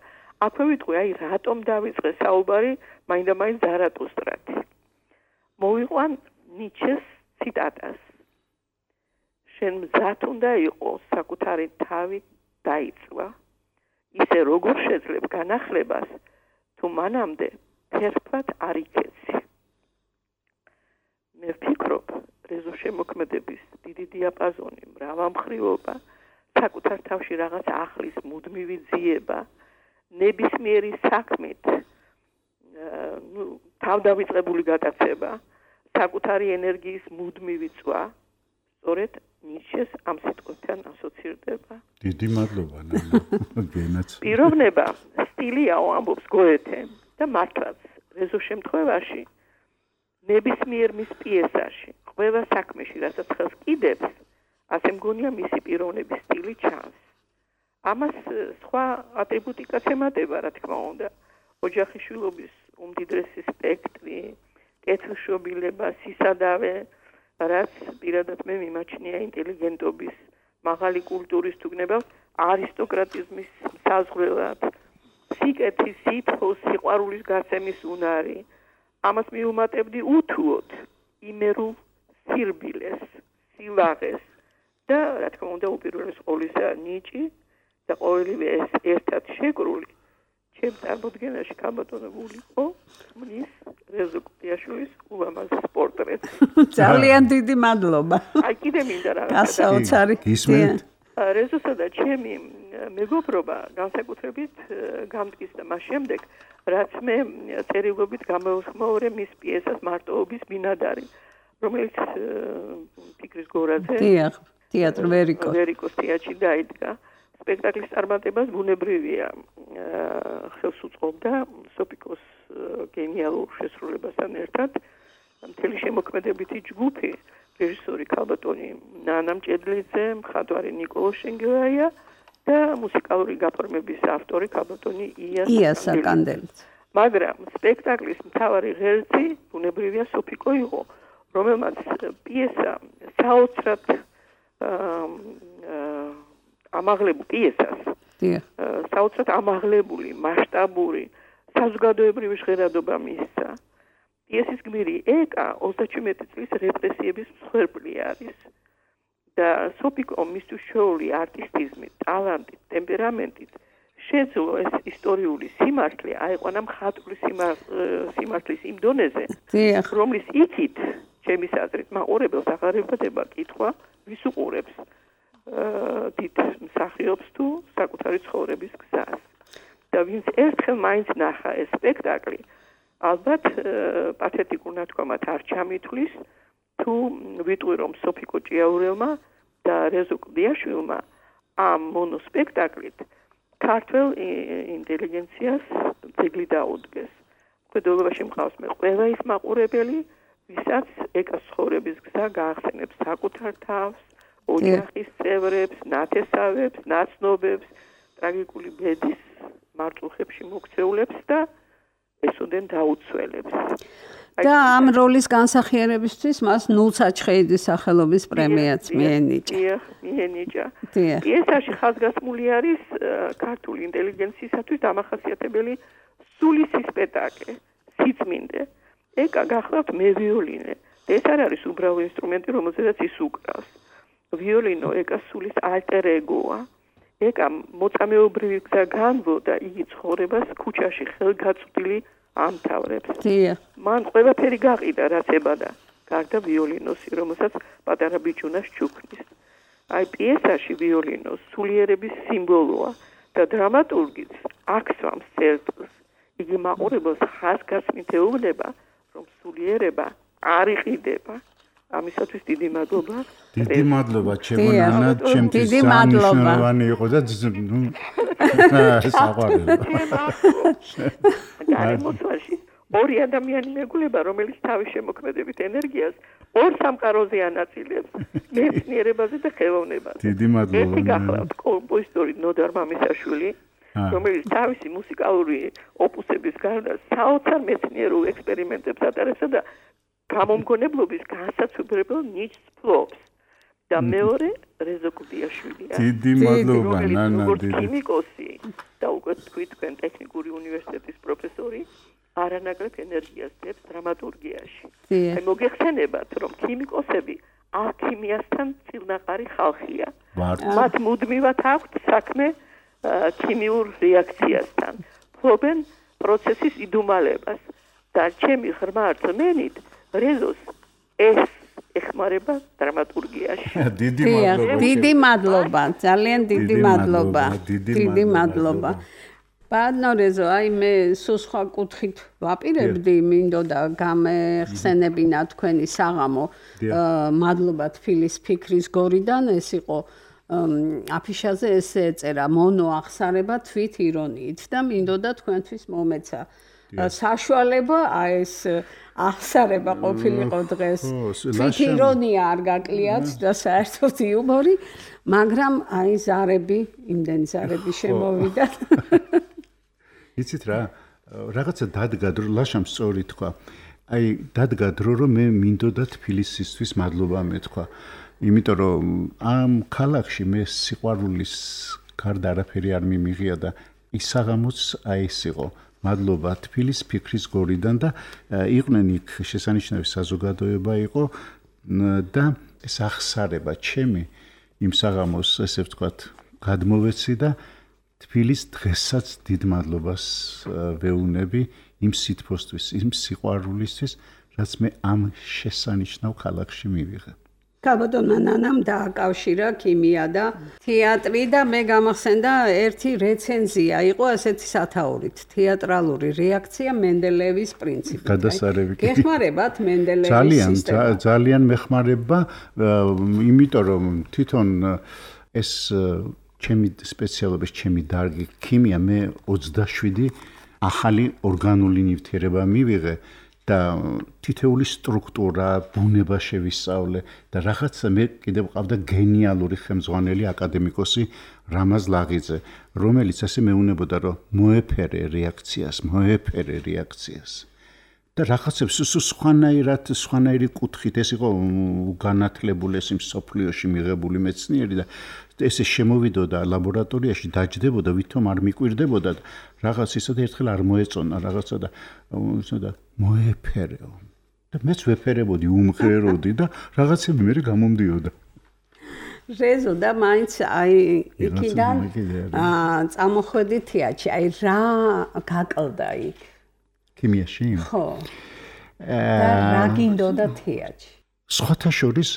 აქვე ვიტყვი, აი რატომ დავიწყე საუბარი მაინდა-მაინც ზარატუსტრათი. მოვიყვან ნიჩეს ციტატას. შენ მზად უნდა იყოს საკუთარი თავი დაიწვა. ისე როგორ შეძლებ განახლებას, თუ მანამდე თერფად არ იქეცი. მე ვფიქრობ, რეზო შემოქმედების დიდი დიაპაზონი, მრავალმხრივობა, საკუთარ თავში რაღაც ახლის მუდმივი ძიება, ნებისმიერი საქმით, თავდავიწყებული გატაცება, საკუთარი ენერგიის მუდმივი წვა, სწორედ ნიჩეს ამ სიტყვებთან ასოცირდება. დიდი მადლობა, ნანა, გენაც. პიროვნება სტილიაო ამბობს გოეთე და მართლაც რეზო შემთხვევაში ნებისმიერ მის პიესაში, ყველა საქმეში, რასაც ხელს კიდებს, ასე მგონია მისი პიროვნების სტილი ჩანს. ამას სხვა ატრიბუტიკაც ემატება, რა თქმა უნდა, ოჯახიშვილობის უმდიდრესი სპექტრი, კეთილშობილება, სისადავე, რაც პირადად მე მიმაჩნია ინტელიგენტობის, მაღალი კულტურის თუ გნებავთ, არისტოკრატიზმის საზღვრელად, სიკეთის, სითხოვს, სიყვარულის გასცემის უნარი. ამას მიუმატებდი უთუოდ იმერულ სირბილეს, სილაღეს და რა თქმა უნდა უპირველეს ყოვლისა ნიჭი და ყოველივე ეს ერთად შეკრული ჩემს წარმოდგენაში გაბატონებულიყო მნის რეზო კუტიაშვილის ულამაზეს პორტრეტს. ძალიან დიდი მადლობა. აი კიდე მინდა რაღაც გასაოცარი. რეზოსა და ჩემი მეგობრობა განსაკუთრებით გამტკიცდა მას შემდეგ, რაც მე წერილობით გამოვხმაურე მის პიესას მარტოობის ბინადარი, რომელიც ფიქრის გორაზე თეატრ ვერიკოს თეატრში დაიდგა. სპექტაკლის წარმატებას ბუნებრივია ხელს უწყობდა სოფიკოს გენიალურ შესრულებასთან ერთად მთელი შემოქმედებითი ჯგუფი რეჟისორი ქალბატონი ნანა მჭედლიძე, მხატვარი ნიკოლო შენგელაია და მუსიკალური გაფორმების ავტორი ქალბატონი ია საკანდელიც. მაგრამ სპექტაკლის მთავარი ღერძი ბუნებრივია სოფიკო იყო, რომელმაც პიესა საოცრად ამაღლებულ პიესას. საოცრად ამაღლებული, მასშტაბური, საზოგადოებრივი ჟღერადობა მისცა. პიესის გმირი ეკა 37 წლის რეპრესიების მსხვერპლი არის. და სოფიკო მისთვის შეეული არტისტიზმით, ტალანტით, ტემპერამენტით შეძლო ეს ისტორიული სიმართლე აიყვანა მხატვრის სიმართლის იმ დონეზე, რომლის იქით ჩემის აზრით მაყურებელს აღარებადება კითხვა, ვის უყურებს დიდ მსახიობს თუ საკუთარი ცხოვრების გზას. და ვინც ერთხელ მაინც ნახა ეს სპექტაკლი, ალბათ პათეტიკურ ნათქვამად არ ჩამითვლის, თუ ვიტყვი რომ სოფიკო ჭიაურელმა და რეზო კლდიაშვილმა ამ მონოსპექტაკლით ქართველ ინტელიგენციას ძეგლი დაუდგეს. მხედველობაში მყავს მე ყველა ის მაყურებელი, ვისაც ეკას ცხოვრების გზა გაახსენებს საკუთარ თავს, ოჯახის წევრებს, ნათესავებს, ნაცნობებს, ტრაგიკული ბედის მარწუხებში მოქცეულებს და ესოდენ დაუცველებს. და ამ როლის განსახიერებისთვის მას ნულსაჩხეიძის სახელობის პრემიაც მიენიჭა. პიესაში ხაზგასმული არის ქართული ინტელიგენციისათვის დამახასიათებელი სულისი სპექტაკლი, სიწმინდე. ეკა გახლავთ მე ვიოლინე. ეს არ არის უბრალო ინსტრუმენტი, რომელზედაც ის უკრავს. ვიოლინო ეკას სულის ალტერ ეგოა. ეკა მოწამეობრივი გზა განვლო და იგი ცხოვრებას ქუჩაში ხელგაწვდილი ამთავრებს. მან ყველაფერი გაყიდა, რაც ებადა, გარდა ვიოლინოსი, რომელსაც პატარა ბიჭუნას ჩუქნის. აი პიესაში ვიოლინო სულიერების სიმბოლოა და დრამატურგიც აქსვამს წერტილს. იგი მაყურებელს ხაზგასმით ეუბნება, რომ სულიერება არ იყიდება. ამისათვის დიდი მადლობა. დიდი მადლობა ჩემო ნანა, ჩემთვის სანიშნავანი იყო და საყვარელი. გარემოსვაში ორი ადამიანი მეგულება, რომელიც თავის შემოქმედებით ენერგიას ორ სამყაროზე ანაწილებს, მეცნიერებაზე და ხელოვნებაზე. დიდი მადლობა. ერთი გახლავთ კომპოზიტორი ნოდარ მამისაშვილი, რომელიც თავისი მუსიკალური ოპუსების გარდა საოცარ მეცნიერულ ექსპერიმენტებს ატარებსა და გამომგონებლობის განსაცვიფრებელ ნიჭს ფლობს. და მეორე რეზო კლდიაშვილია. დიდი მადლობა ნანა, დიდი ქიმიკოსი და უკვე თქვენ ტექნიკური უნივერსიტეტის პროფესორი არანაკლებ ენერგიას დებს დრამატურგიაში. აი მოგეხსენებათ, რომ ქიმიკოსები ალქიმიასთან წილნაყარი ხალხია. მათ მუდმივად აქვთ საქმე ქიმიურ რეაქციასთან. ფლობენ პროცესის იდუმალებას და ჩემი ღრმა რწმენით რეზოს ეს ეხმარება დრამატურგიაში. დიდი მადლობა, ძალიან დიდი მადლობა. დიდი მადლობა. ბატონო რეზო, აი მე სულ სხვა კუთხით ვაპირებდი, მინდოდა გამეხსენებინა თქვენი საღამო. მადლობა თბილის ფიქრის გორიდან, ეს იყო აფიშაზე ესე ეწერა მონო აღსარება თვით ირონიით და მინდოდა თქვენთვის მომეცა საშუალება ეს აღსარება ყოფილიყო დღეს თვით ირონია არ გაკლიათ და საერთოდ იუმორი, მაგრამ აი ზარები, იმდენი ზარები შემოვიდა. იცით რა, რაღაცა დადგა დრო, ლაშამ სწორი თქვა. აი დადგა დრო, რომ მე მინდოდა თბილისისთვის მადლობა მეთქვა. იმიტომ რომ ამ ქალაქში მე სიყვარულის გარდა არაფერი არ მიმიღია და ის საღამოც აი ეს იყო. მადლობა თბილის ფიქრის გორიდან და იყვნენ იქ შესანიშნავი საზოგადოება იყო და ეს ახსარება ჩემი იმ საღამოს ესე ვთქვათ გადმოვეცი და თბილის დღესაც დიდ მადლობას ვეუბნები იმ სითბოსთვის, იმ სიყვარულისთვის, რაც მე ამ შესანიშნავ ქალაქში მივიღე. კაბადონმა ნანამ დააკავშირა ქიმია და თეატრი და მე გამახსენდა ერთი რეცენზია იყო ასეთი სათაურით თეატრალური რეაქცია მენდელეევის პრინციპით. გადასარევი. გეხმარებათ მენდელეევის სისტემა. ძალიან მეხმარება, იმიტომ რომ თვითონ ეს ჩემი სპეციალობის ჩემი დარგი ქიმია მე 27 ახალი ორგანული ნივთიერება მივიღე და თითეული სტრუქტურა, ბუნება შევისწავლე და რაღაცა მე კიდევ ყავდა გენიალური ხელმძღვანელი აკადემიკოსი რამაზ ლაღიძე, რომელიც ასე მეუბნებოდა, რომ მოეფერე რეაქციას. და რაღაცებს სხვანაირი კუთხით ეს იყო განათლებული ეს მსოფლიოში მიღებული მეცნიერი და ესე შემოვიდოდა ლაბორატორიაში დაჯდებოდა ვითომ არ მიკვირდებოდა და რაღაც ისე ერთხელ არ მოეწონა რაღაცა და მოეფერეო და მეც ვეფერებოდი უმღეროდი და რაღაცები მე გამომდიოდა რეზო და მაინც აი იქიდან წამოხვედი თეატრში აი რა გაკლდა იქ ქიმიაში? ხო. და რა გინდოდა თეატრში? სხვათა შორის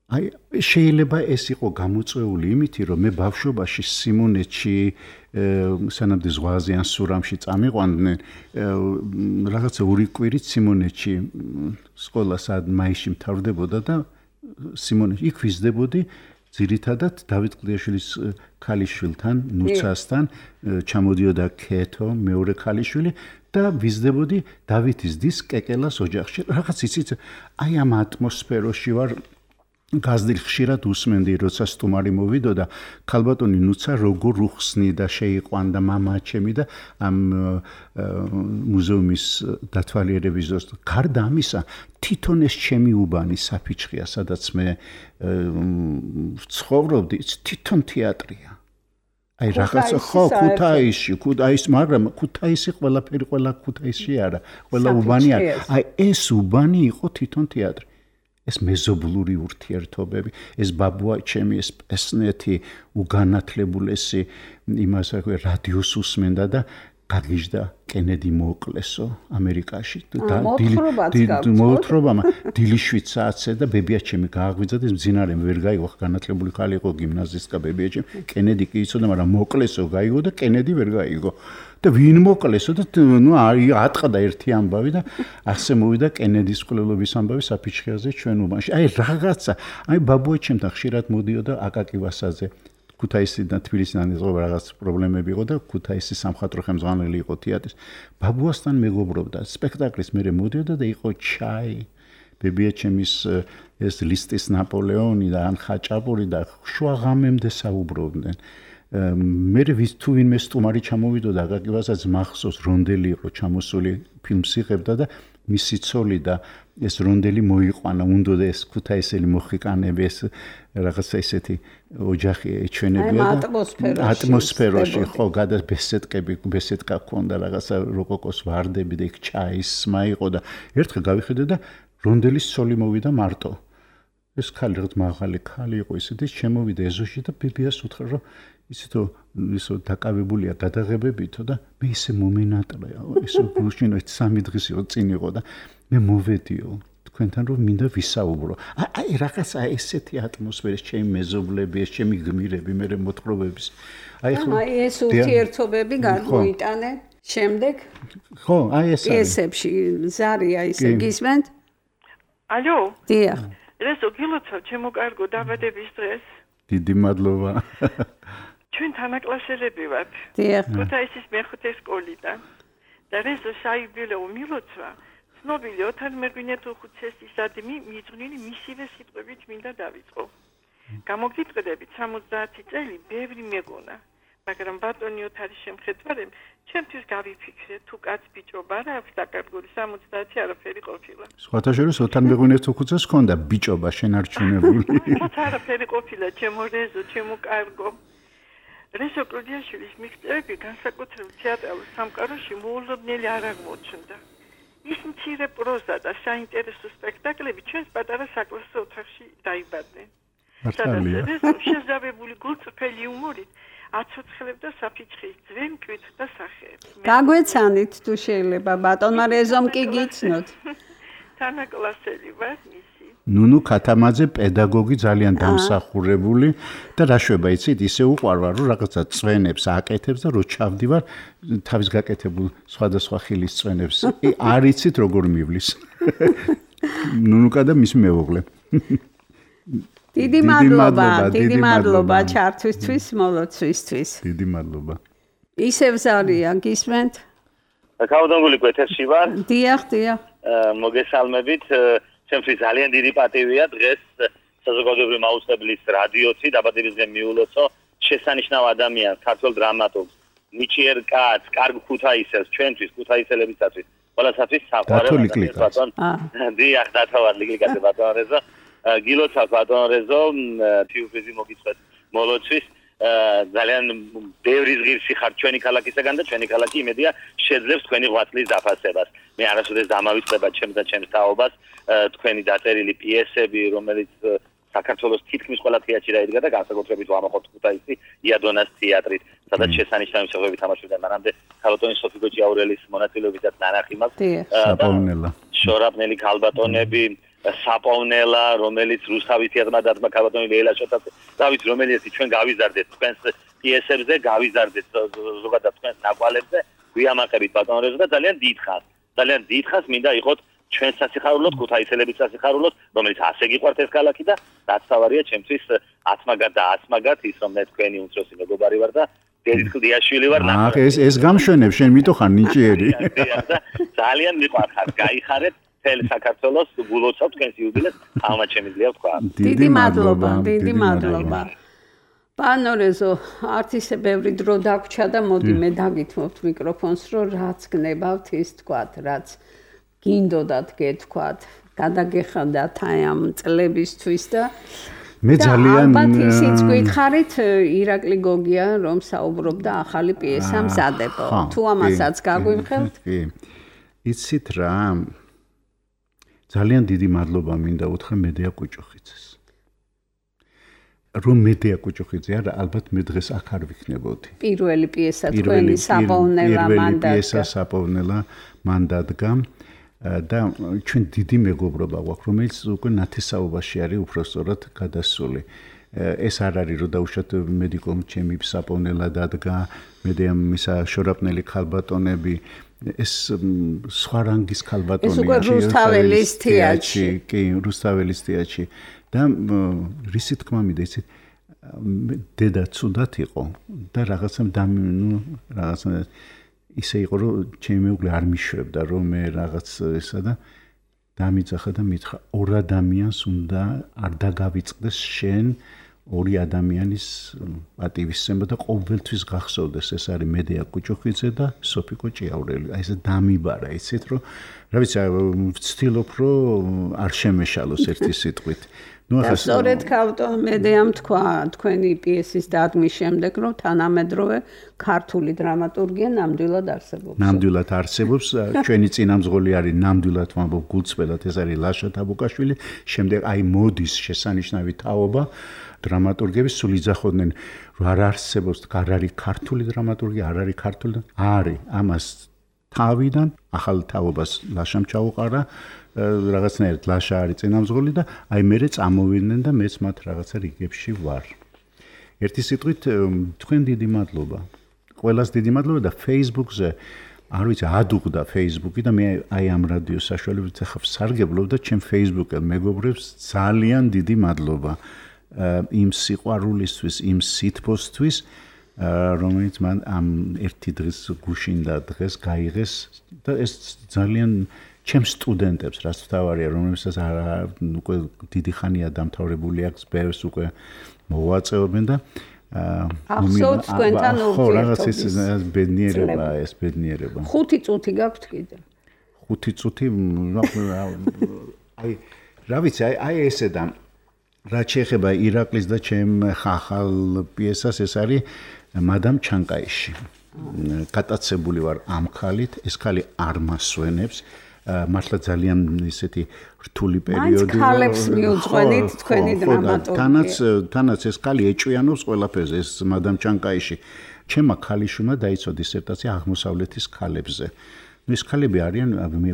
აი შეიძლება ეს იყო გამოწვეული იმითი რომ მე ბავშვობაში სიმონეთში სანამდე ზღვაზე ან სურამში წამიყვანდნენ რაღაცა ორი კვირით სიმონეთში სკოლა სად მაისში მთავრდებოდა და სიმონეთში იქ ვიზრდებოდი ძირითადად დავით კლდიაშვილის ქალიშვილთან ნუცასთან ჩამოდიოდა ქეთო მეორე ქალიშვილი და ვიზრდებოდი დავითის დის კეკელას ოჯახში რაღაც იცით აი ამ ატმოსფეროში ვარ გაზრდილ ხშირად უსმენდი როცა სტუმარი მოვიდოდა ქალბატონი ნუცა როგორ უხსნიდა შეიყვანდა მამა ჩემი და ამ მუზეუმის დათვალიერების დროს გარდა ამისა თვითონ ეს ჩემი უბანი საფიჩხია სადაც მე ვცხოვრობდი თვითონ თეატრია აი რაღაცა ხო ქუთაისში მაგრამ ქუთაისი ყველაფერი ყველა ქუთაისში არა ყველა უბანი არა აი ეს უბანი იყო თვითონ თეატრი ეს მეზობლური ურთიერთობები ეს ბაბუა ჩემი ეს პესნეთი უგანათლებულესი იმას რადიოს უსმენდა და გაგიჟდა კენედი მოუკლესო ამერიკაში და მოთხრობა დილიშვით საათზე და ბებია ჩემი გააღვიძა და მძინარე ვერ გაიგო განათლებული ხალი იყო გიმნაზისტკა ბებია ჩემი კენედი კი იცოდა მაგრამ მოკლესო გაიგო და კენედი ვერ გაიგო და ვინ მოკლესო და ატყდა ერთი ამბავი და ასე მოვიდა კენედის ყოლობის ამბავი საფიჩხიაზე ჩვენ უბანში აი რაღაცა აი ბაბუა ჩემთან ხშირად მოდიოდა აკაკი ვასაძე ქუთაისიდან თბილისიდან ეზღობა რაღაც პრობლემები იყო და ქუთაისის სამხატვრო ხელმძღვანელი იყო თეატრის ბაბუასთან მეგობრობდა სპექტაკლის მერე მოდიოდა და იყო ჩაი ბებია ჩემის ეს ლისტის ნაპოლეონი და ან ხაჭაპური და შუაღამემდე საუბრობდნენ მე თუ ვინმე სტუმარი ჩამოვიდოდა აკაკი ვასაძე მახსოვს რონდელი იყო ჩამოსული ფილმს იღებდა და მისი ცოლი და ეს რონდელი მოიყვანა უნდა ეს ქუთაისელი მოხიკანები ეს რაღაცა ისეთი ოჯახი ეჩვენებია და ატმოსფეროში ხო გადა ბესედკა ქონდა რაღაცა როკოკოს ვარდები და იქ ჩაისმა იყო და ერთხელ გავიხედე და რონდელის ცოლი მოვიდა მარტო ეს ხალი რაღაც მაღალი ხალი იყო ისეთი შემოვიდა ეზოში და ბებიას უთხრა რომ ისეთო ისო დაკავებულია გადაღებებითო და მე ისე მომენატრა ისო გულშინო 3 დღის იყო წინ იყო და მე მოვედიო თქვენთან რომ მინდა ვისაუბრო აი რაღაცა ესეთი ატმოსფეროს ჩემი მეზობლები ეს ჩემი გმირები მე მოთხრობების აი ეს ურთიერთობები გამოიტანე შემდეგ ხო აი ესებში ზარია ისე გისმენთ ალო დიახ რესო გილოცავ ჩემო კარგო დაბადების დღეს დიდი მადლობა ჩვენ თანაკლასელები ვართ ქუთაისის მეხუთე სკოლიდან და რეზო საიუბილეო მილოცვა ცნობილი ოთარ მერგვინეთუხუცესისადმი მიძღვნილი მისივე სიტყვებით მინდა დავიწყო გამოგიტყდებით 70 წელი ბევრი მეგონა მაგრამ ბატონი ოთარის შემხედვარემ ჩემთვის გავიფიქრე თუ კაც ბიჭობა რა აქვს დაკარგული 70 არაფერი ყოფილა სხვათა შორის ოთარ მერგვინეთუხუცეს ჰქონდა ბიჭობა შენარჩუნებული არაფერი ყოფილა ჩემო რეზო ჩემო კარგო რესო კლოდიაშვილის მიღწევები განსაკუთრებით თეატრალურ სამყაროში მოულოდნელი არ აღმოჩნდა. ის მცირე პროზა და საინტერესო სპექტაკლები ჩვენს პატარა საკლასო ოთახში დაიბადნენ. მართალია. შეზავებული გულწრფელი იუმორით აცოცხლებდა საფიჩხის ძველ მკვეთრ და სახეებს. გაგვეცანით თუ შეიძლება ბატონმა რეზომ კი გიცნოთ. თანაკლასელი ვარ მისი. ნუნუ ქათამაძე პედაგოგი ძალიან დამსახურებული და რა შვება იცით ისე უყვარვა რომ რაღაცა წვენებს აკეთებს და რო ჩავდივარ თავის გაკეთებულ სხვადასხვა ხილის წვენებს არ იცით როგორ მივლის. ნუნუკა და მის მეუღლე. დიდი მადლობა ჩართვისთვის, მოლოცვისთვის. დიდი მადლობა. ისევ ზარია გისმენთ? კაუდონგული კვეთერში ვარ. დიახ. მოგესალმებით. ჩემთვის ძალიან დიდი პატივია დღეს საზოგადოებრივი მაუწყებლის რადიოთი დაბადებისდღე მიულოცო შესანიშნავ ადამიანს, ქართველ დრამატურგს, ნიჭიერ კაცს, კარგ ქუთაისელს, ჩვენთვის ქუთაისელებისათვის, ყველასათვის საყვარელი ბატონ. დიახ, დათავარ ლიგიკაზე ბატონ რეზო. გილოცავ ბატონ რეზო, თიუფიზი მოგიწვეთ მოლოცვის. ძალიან ბევრი ზღირსი ხარ ჩვენი ქალაქისაგან და ჩვენი ქალაქი იმედია შეძლებს თქვენი ღვაწლის დაფასებას. მე არასოდეს დამავიწყდება ჩემს და ჩემს თაობას თქვენი დაწერილი პიესები, რომელიც საქართველოს თითქმის ყველა თეატრში დაიდგა და განსაკუთრებით ვამაყობთ ქუთაისი იადონას თეატრით, სადაც შესანიშნავი მსახიობები თამაშობდნენ. მანამდე ქალბატონი სოფი ჭიაურელის მონაწილეობითაც ნანახი მაქვს. საპოვნელა. შორაპნელი ქალბატონები საპოვნელა, რომელიც რუსთავის თეატრმა დადგმა ქალბატონი ლეილა შოტაძე. დავით, რომელიც ჩვენ გავიზარდეთ თქვენს პიესებზე, გავიზარდეთ ზოგადად თქვენს ნაკვალებზე, ვიამაყებით ბატონ რეზო და ძალიან დიდხანს მინდა იყოთ ჩვენ სასიხარულოდ, ქუთაისელების სასიხარულოდ, რომელიც ასე გიყვართ ეს ქალაქი და რაც თავარია ჩემთვის ათმაგად და ასმაგად ის რომ მე თქვენი უმცროსი მეგობარი ვარ და დედით კლდიაშვილი ვარ. ეს გამშვენებ შენ მიტოხარ ნიჭიერი. ძალიან მიყვარხარ, გაიხარეთ თელ საქართველოს გულოცავ თქვენს იუბილეს, ამათ შემიძლია ვთქვა. დიდი მადლობა. ბანო რეზო, არც ისე ბევრი დრო დაგვრჩა და მოდი მე დაგითმობთ მიკროფონს, რომ რაც გნებავთ ის თქვათ, რაც გინდოდათ გეთქვათ, გადაგეხადათ აი ამ წლებისთვის და მე ძალიან ალბათ ისიც გითხარით ირაკლი გოგია რომ საუბრობდა ახალი პიესა მზადებო. თუ ამასაც გაგვიმხელთ? კი. იცით რა? ძალიან დიდი მადლობა მინდა უთხრა მედია კუჭუხიძეს. რომ მედია კუჭუხიძე არა, ალბათ მე დღეს აქ არ ვიქნებოდი. პირველი პიესა თქვენი საპოვნელა მან დადგა და ჩვენ დიდი მეგობრობა გვაქვს, რომელიც უკვე ნათესაობაში არის უბრალოდ გადასული. ეს არ არის რომ დაუშვათ მედიკომ ჩემი საპოვნელა დადგა, მედიამ ისა შორაპნელი ქალბატონები ეს სხვა რანგის ქალბატონია. ეს უკვე რუსთაველის თეატრში. კი, რუსთაველის თეატრში. და რისი თქმა მინდა იცით დედა ცუდად იყო და რაღაცა ისე იყო რომ ჩემი მეუღლე არ მიშვებდა რომ მე რაღაც ესა და დამიძახა და მითხრა ორ ადამიანს უნდა არ დაგავიწყდეს შენ ორი ადამიანის პატივისცემა და ყოველთვის გახსოვდეს ეს არის მედია კუჭუხიძე და სოფიკო ჭიაურელი. აი ესე დამიბარა იცით რომ რა ვიცი ვცდილობ რომ არ შემეშალოს ერთი სიტყვით. სწორედ ქალბატონ მედიამ თქვა თქვენი პიესის დადგმის შემდეგ რომ თანამედროვე ქართული დრამატურგია ნამდვილად არსებობს. ჩვენი წინამძღოლი არის ნამდვილად ვამბობ გულწრფელად ეს არის ლაშა თაბუკაშვილი. შემდეგ აი მოდის შესანიშნავი თაობა დრამატურგები სულ იძახოდნენ რომ არ არსებობს არ არის ქართული დრამატურგია არ არის ქართული არის ამას თავიდან ახალ თაობას ლაშამ ჩაუყარა რაღაცნაირად ლაშა არის წინამძღოლი და აი მერე წამოვიდნენ და მეც მათ რაღაცა რიგებში ვარ. ერთი სიტყვით თქვენ დიდი მადლობა. ყველას დიდი მადლობა და Facebook-ზე არ ვიცი ადუღდა Facebook-ი და მე აი ამ რადიოს საშუალებით ახლა ვსარგებლობ და ჩემ Facebook-ელ მეგობრებს ძალიან დიდი მადლობა. იმ სიყვარულისთვის, იმ სითბოსთვის, რომელიც მან ამ ერთი დღის გუშინდა დღეს გაიღეს და ეს ძალიან ჩემ სტუდენტებს, რაც თავარია, რომლებსაც უკვე დიდი ხანია დამთავრებული აქვს, ბევრს უკვე მოვაწეობენ და ახსოვს თქვენთან ურთიერთობის. ეს ბედნიერება. 5 წუთი გაქვთ კიდე. 5 წუთი აი რა ვიცი, აი ესე და რაც შეეხება ირაკლის და ჩემ ხახალ პიესას ეს არის მადამ ჩანკაიში. გატაცებული ვარ ამ ხალით, ეს ხალი არ მასვენებს. მართლა ძალიან ისეთი რთული პერიოდი. მაინც ხალებს მიუძღვენით თქვენი დრამატურგია. თანაც ეს ხალი ეჭვიანობს ყველაფერზე, ეს მადამ ჩანკაიში. ჩემმა ქალიშვილმა დაიცვა დისერტაცია აღმოსავლეთის ქალებზე. ეს ქალები არიან,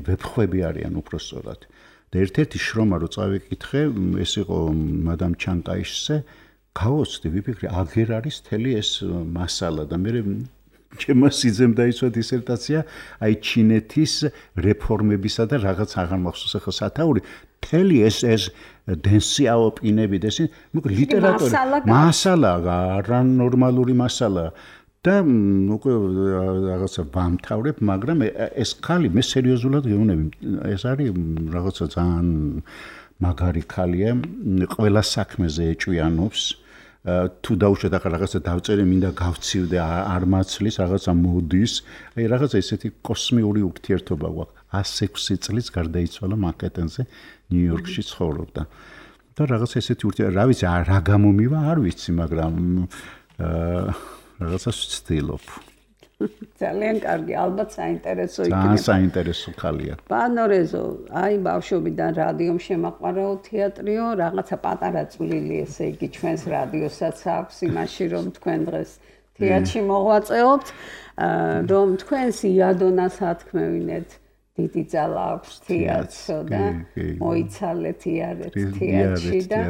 ვეფხვები არიან უпроსწორად. და ერთ-ერთი შრომა რო წავიკითხე, ეს იყო მადამ ჩანკაიშზე, გავოცდი, ვიფიქრე, აგერ არის თელი ეს მასალა და მე ჩემმა სიძემ დაიცვა დისერტაცია აი ჩინეთის რეფორმებისა და რაღაც აღარ მახსოვს ახლა სათაური თელი ეს დენსიაო პინები და ეს ლიტერატურა მასალა არანორმალური მასალა და უკვე რაღაცა ვამთავრებ, მაგრამ ეს ხალი მე სერიოზულად გეუბნები, ეს არის რაღაცა ძალიან მაგარი ხალია, ყველა საქმეზე ეჭვიანობს. თუ დაუშვათ ახლა რაღაცა დავწერე, მინდა გავცივდე, არ მაცლის, რაღაცა მოდის, აი რაღაცა ესეთი კოსმიური ურთიერთობა გვაქვს. 106 წლის გარდაიცვალა მანჰეტენზე, ნიუ-იორკში ცხოვრობდა. და რაღაცა ესეთი ურთიერთობა, რა ვიცი, რა გამომივა, არ ვიცი, მაგრამ რაღაცას ვცდილობ. ძალიან კარგი, ალბათ საინტერესო იქნება. ძალიან საინტერესო ხალია. ბანო რეზო, აი ბავშვობიდან რადიომ შემაყვარაო თეატრიო, რაღაცა პატარა წვლილი, ესე იგი ჩვენს რადიოსაც აქვს იმაში, რომ თქვენ დღეს თეატრში მოღვაწეობთ, რომ თქვენს იადონას ათქმევინეთ, დიდი ძალა აქვს თეატრსო და მოიცალეთ იარეთ თეატრში და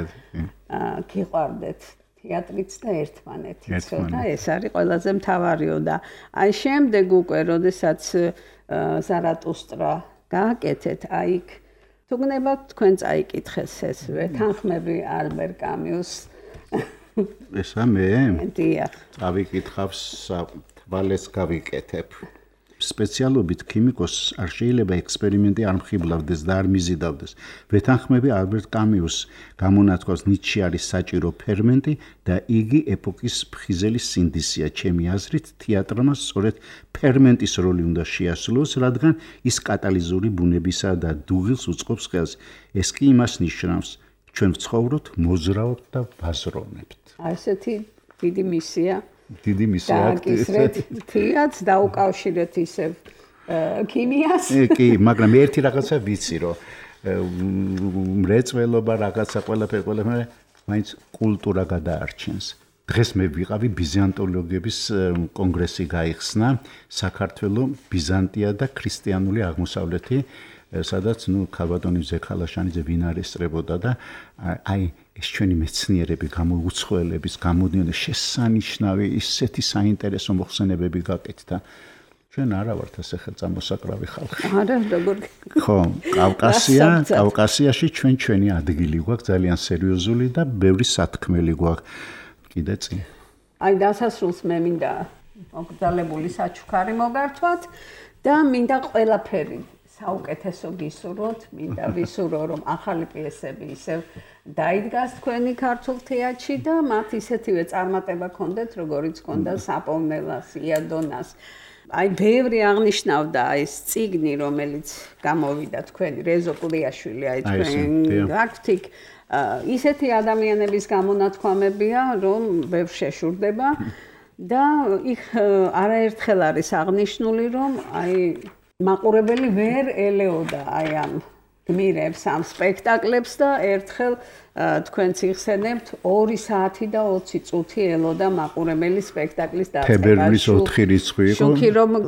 გიყვარდეთ თეატრიც და ერთმანეთიცო და ეს არის ყველაზე მთავარიო და აი შემდეგ უკვე როდესაც ზარატუსტრა გააკეთეთ აი თუ გნებათ თქვენ წაიკითხეს ეს ვეთანხმები ალბერ კამიუს ესა მე დიახ წავიკითხავს თვალეს გავიკეთებ სპეციალობით ქიმიკოსს არ შეიძლება ექსპერიმენტი არ მხიბლავდეს და არ მიზიდავდეს. ვეთანხმები ალბერტ კამიუს გამონათქვას ნიჩი არის საჭირო ფერმენტი და იგი ეპოქის ფხიზელი სინდისია. ჩემი აზრით, თეატრმა სწორედ ფერმენტის როლი უნდა შეასრულოს, რადგან ის კატალიზური ბუნებისა და დუღილს უწყობს ხელს. ეს კი იმას ნიშნავს, ჩვენ ვცხოვრობთ, მოზრაობთ და ვაზროვნებთ. აი ესეთი დიდი მისია დიდი მისია აქტივეთ თეატრს დაუკავშირეთ ისევ ქიმიას კი მაგრამ ერთი რაღაცა ვიცი რომ მრეწველობა რაღაცა ყველაფერი მაინც კულტურა გადაარჩენს დღეს მე ვიყავი ბიზანტოლოგების კონგრესი გაიხსნა საქართველოს ბიზანტია და ქრისტიანული აღმოსავლეთი სადაც ქალბატონი ზექალაშანიძე ვინ არესტრებოდა და აი ეს ჩვენი მეცნიერები გამოუცხოელების გამოდიოდნენ შესანიშნავი ისეთი საინტერესო მოხსენებები გაკეთდა ჩვენ არა ვართ ასე ხელწამოსაკრავი ხალხი არა როგორ ხო კავკასიაში ჩვენი ადგილი გვაქვს ძალიან სერიოზული და ბევრი სათქმელი გვაქვს კიდე წინ აი დასასრულს მე მინდა მოგზალებული საჩუქარი მოგართვათ და მინდა ყველაფერი საუკეთესო გისურვოთ, მინდა ვისურვო რომ ახალი პიესები ისევ დაიდგას თქვენი ქართულ თეატრში და მათ ისეთივე წარმატება ქონდეთ, როგორიც ქონდა საპოვნელას, იადონას. აი ბევრი აღნიშნავდა ეს წიგნი, რომელიც გამოვიდა თქვენი რეზო კლდიაშვილი, აი თქვენ გაქვთ ისეთი ადამიანების გამონათქვამებია, რომ ბევრ შეშურდება და იქ არაერთხელ არის აღნიშნული, რომ აი მაყურებელი ვერ ელეოდა აი ამ გმირებს ამ სპექტაკლებს და ერთხელ თქვენც იხსენებთ 2 საათი და 20 წუთი ელოდა მაყურებელი სპექტაკლის დაწყება. თებერვლის 4 რიცხვი იყო.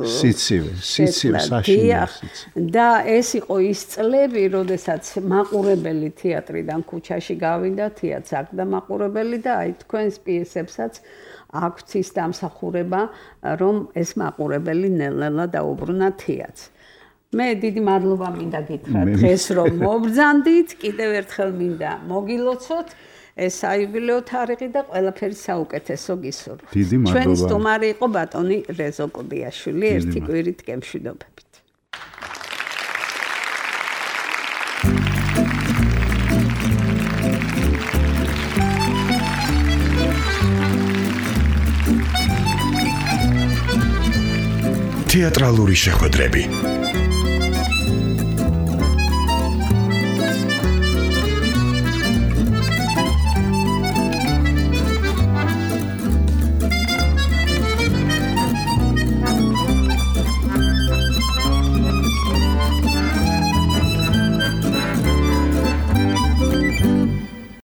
სიცივე საშინელი. და ეს იყო ის წლები, როდესაც მაყურებელი თეატრიდან ქუჩაში გავიდა, თეატრს აქდა მაყურებელი და აი თქვენს პიესებსაც აქვს ის დამსახურება, რომ ეს მაყურებელი ნელ-ნელა დაუბრუნა თეატრს. მე დიდი მადლობა მინდა გითხრათ დღეს რომ მობრძანდით, კიდევ ერთხელ მინდა მოგილოცოთ ეს საიუბილეო თარიღი და ყველაფერი საუკეთესო გისურვებთ. დიდი მადლობა. ჩვენი სტუმარი იყო ბატონი რეზო კლდიაშვილი, ერთი კვირით გემშვიდობებით. თეატრალური შეხვედრები